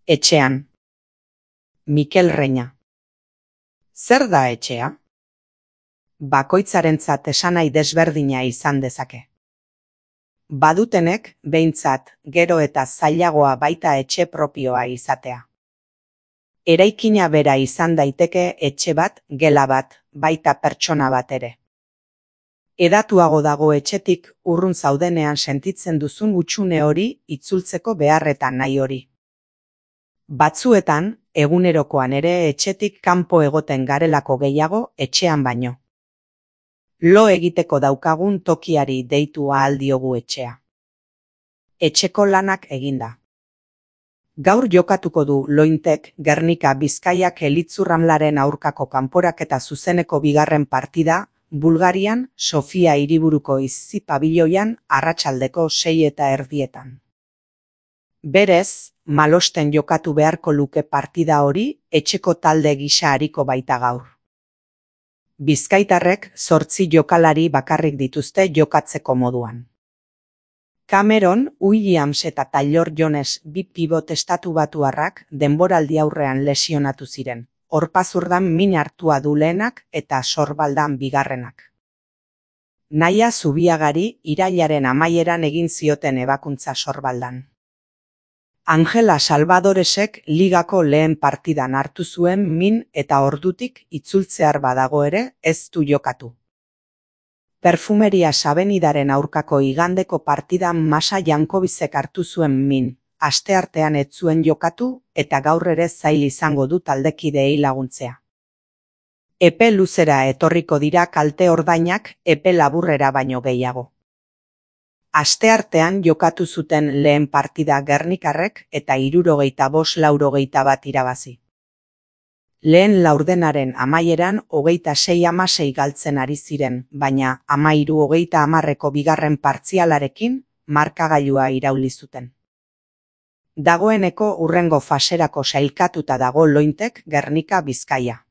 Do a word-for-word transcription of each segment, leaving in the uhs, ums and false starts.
Etxean. Mikel Reina. Zer da etxea? Bakoitzarentzat esanahi desberdina izan dezake. Badutenek, behintzat, gero eta zailagoa baita etxe propioa izatea. Eraikina bera izan daiteke etxe bat, gela bat, baita pertsona bat ere. Hedatuago dago etxetik urrun zaudenean sentitzen duzun hutsune hori itzultzeko beharretan nahi hori. Batzuetan, egunerokoan ere etxetik kanpo egoten garelako gehiago etxean baino. Lo egiteko daukagun tokiari deitu ahal diogu etxea. Etxeko lanak eginda. Gaur jokatuko du Lointek Gernika Bizkaiak Elitzurramlaren aurkako kanporaketa zuzeneko bigarren partida, Bulgarian, Sofia hiriburuko Izzi pabiloian arratsaldeko sei eta erdietan. Berez, malosten jokatu beharko luke partida hori etxeko talde gisa ariko baita gaur. Bizkaitarrek zortzi jokalari bakarrik dituzte jokatzeko moduan. Cameron, Williams eta Taylor Jones bi pibot estatubatuarrak denboraldi aurrean lesionatu ziren. Horpazurdan min hartua du lehenak eta Sorbaldan bigarrenak. Naia Zubiagari irailaren amaieran egin zioten ebakuntza Sorbaldan. Angela Salvadoresek ligako lehen partidan hartu zuen min eta ordutik itzultzear badago ere ez du jokatu. Perfumeria Sabenidaren aurkako igandeko partidan Masa Jankobizek hartu zuen min. Asteartean ez zuen jokatu eta gaur ere zail izango du taldekideei laguntzea. Epe luzera etorriko dira kalte ordainak epe laburrera baino gehiago. Asteartean jokatu zuten lehen partida Gernikarrek eta hirurogeita bost laurogeita bat irabazi. Lehen laurdenaren amaieran hogeita sei hamasei galtzen ari ziren, baina hamairu hogeita hamarreko bigarren partzialarekin markagailua irauli zuten. Dagoeneko hurrengo faserako sailkatuta dago Lointek Gernika Bizkaia.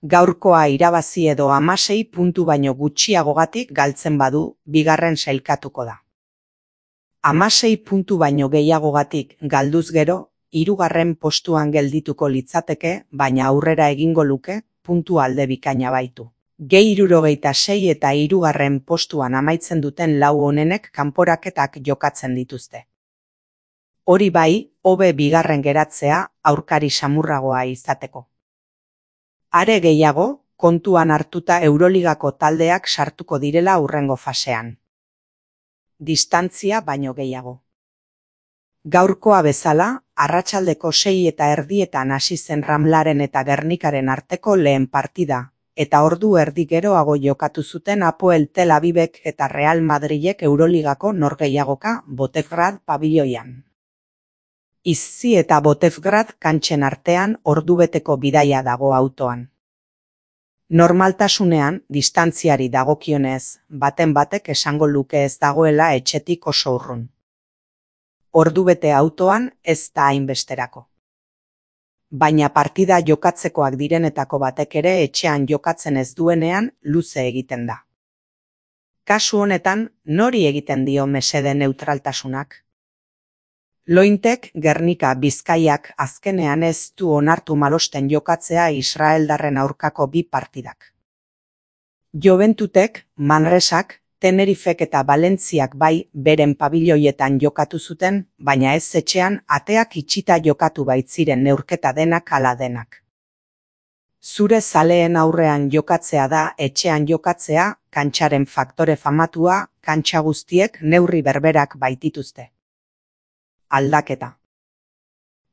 Gaurkoa irabazi edo hamasei puntu baino gutxiagogatik galtzen badu, bigarren sailkatuko da. Hamasei puntu baino gehiagogatik galduz gero, hirugarren postuan geldituko litzateke, baina aurrera egingo luke, puntu alde bikaina baitu. Gehi hirurogeita sei eta hirugarren postuan amaitzen duten lau onenek kanporaketak jokatzen dituzte. Hori bai, hobe bigarren geratzea aurkari samurragoa izateko. Are gehiago, kontuan hartuta Euroligako taldeak sartuko direla hurrengo fasean. Distantzia baino gehiago. Gaurkoa bezala, arratsaldeko sei eta erdietan hasi zen Ramlaren eta Gernikaren arteko lehen partida, eta ordu erdi geroago jokatu zuten Apoel Tel Avivek eta Real Madrilek Euroligako norgehiagoka Botevgrad pabiloian. Izzi eta Botevgrad kantxen artean ordubeteko bidaia dago autoan. Normaltasunean, distantziari dagokionez, baten batek esango luke ez dagoela etxetik oso urrun. Ordubete autoan ez da hainbesterako. Baina partida jokatzekoak direnetako batek ere etxean jokatzen ez duenean luze egiten da. Kasu honetan, nori egiten dio mesede neutraltasunak? Lointek Gernika Bizkaiak azkenean ez du onartu malosten jokatzea israeldarren aurkako bi partidak. Joventutek, Manresak, Tenerifek eta Valentziak bai beren pabiloietan jokatu zuten, baina ez etxean ateak itxita jokatu baitziren neurketa denak ala denak. Zure zaleen aurrean jokatzea da etxean jokatzea, kantxaren faktore famatua, kantxa guztiek neurri berberak baitituzte. Aldaketa.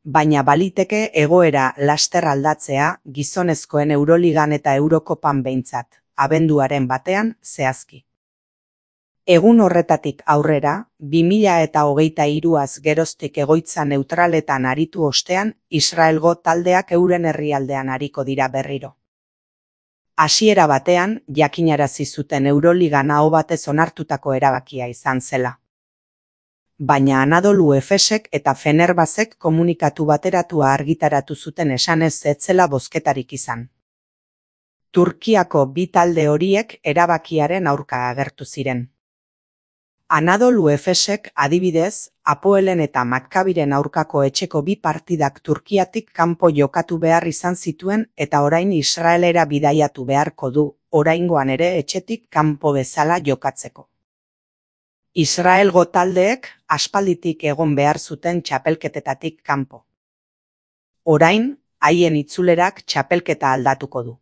Baina baliteke egoera laster aldatzea gizonezkoen Euroligan eta Eurokopan behintzat, abenduaren batean zehazki. Egun horretatik aurrera, bi mila eta hogeita hiruaz geroztik egoitza neutraletan aritu ostean, Israelgo taldeak euren herrialdean ariko dira berriro. Hasiera batean, jakinarazi zuten Euroligan aho batez onartutako erabakia izan zela. Baina Anadolu Efesek eta Fenerbahzek komunikatu bateratua argitaratu zuten esanez ez zela bozketarik izan. Turkiako bi talde horiek erabakiaren aurka agertu ziren. Anadolu Efesek adibidez, Apoelen eta Makkabiren aurkako etxeko bi partidak Turkiatik kanpo jokatu behar izan zituen eta orain Israelera bidaiatu beharko du, oraingoan ere etxetik kanpo bezala jokatzeko. Israelgo taldeek aspalditik egon behar zuten txapelketetatik kanpo. Orain, haien itzulerak txapelketa aldatuko du.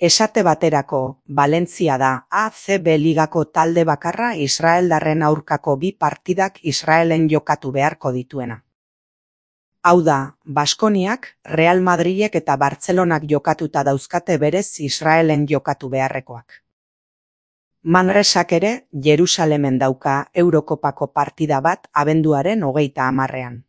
Esate baterako, Valentzia da A C B ligako talde bakarra israeldarren aurkako bi partidak Israelen jokatu beharko dituena. Hau da, Baskoniak, Real Madrilek eta Bartzelonak jokatuta dauzkate berez Israelen jokatu beharrekoak. Manresak ere, Jerusalemen dauka Eurokopako partida bat abenduaren hogeita hamarrean.